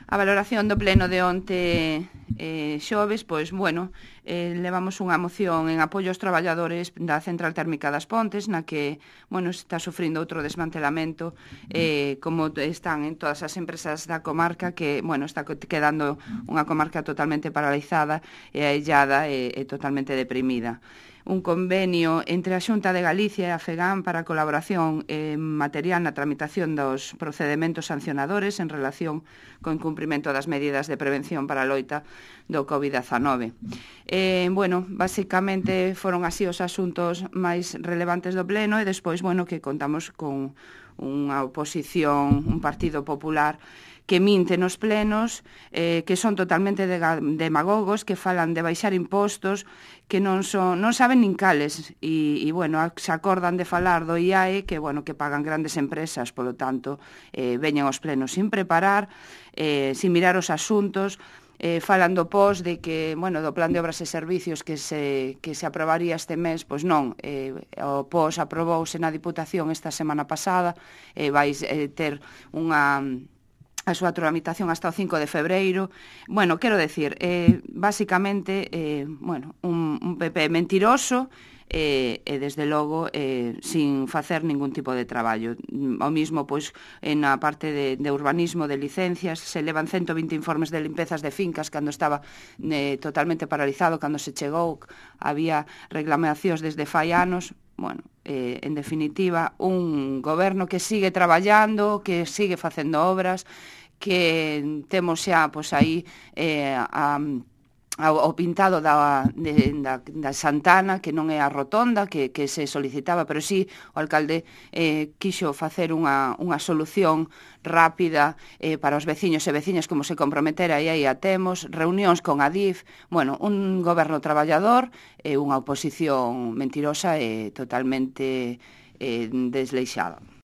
A valoración do pleno de onte xoves, pois, bueno, levamos unha moción en apoio aos traballadores da Central Térmica das Pontes, na que, bueno, está sufrindo outro desmantelamento, como están en todas as empresas da comarca, que, bueno, está quedando unha comarca totalmente paralizada e aillada e totalmente deprimida. Un convenio entre a Xunta de Galicia e a FEGAM para a colaboración material na tramitación dos procedementos sancionadores en relación co incumprimento das medidas de prevención para a loita do COVID-19. Bueno, basicamente foron así os asuntos máis relevantes do pleno e despois, bueno, que contamos con unha oposición, un Partido Popular que minte nos plenos, que son totalmente demagogos, que falan de baixar impostos, que non saben nin cales, e bueno, se acordan de falar do IAE, que, bueno, que pagan grandes empresas, polo tanto, veñen aos plenos sin preparar, sin mirar os asuntos, falan do POS, de que, bueno, do Plan de Obras e Servicios que se aprobaría este mes, pois non, o POS aprobouse na Diputación esta semana pasada, vai ter a súa tramitación hasta o 5 de febreiro. Bueno, quero decir, basicamente, bueno, un PP mentiroso e desde logo sin facer ningún tipo de traballo. O mismo, pois, na parte de urbanismo, de licencias, se levan 120 informes de limpezas de fincas cando estaba totalmente paralizado, cando se chegou, había reclamacións desde fai anos. Bueno, en definitiva, un goberno que sigue traballando, que sigue facendo obras, que temos xa, pois, aí o pintado da Santana, que non é a rotonda que se solicitaba, pero sí o alcalde quixo facer unha solución rápida para os veciños e veciñas, como se comprometera, e aí a temos, reunións con Adif, bueno, un goberno traballador e unha oposición mentirosa e totalmente desleixada.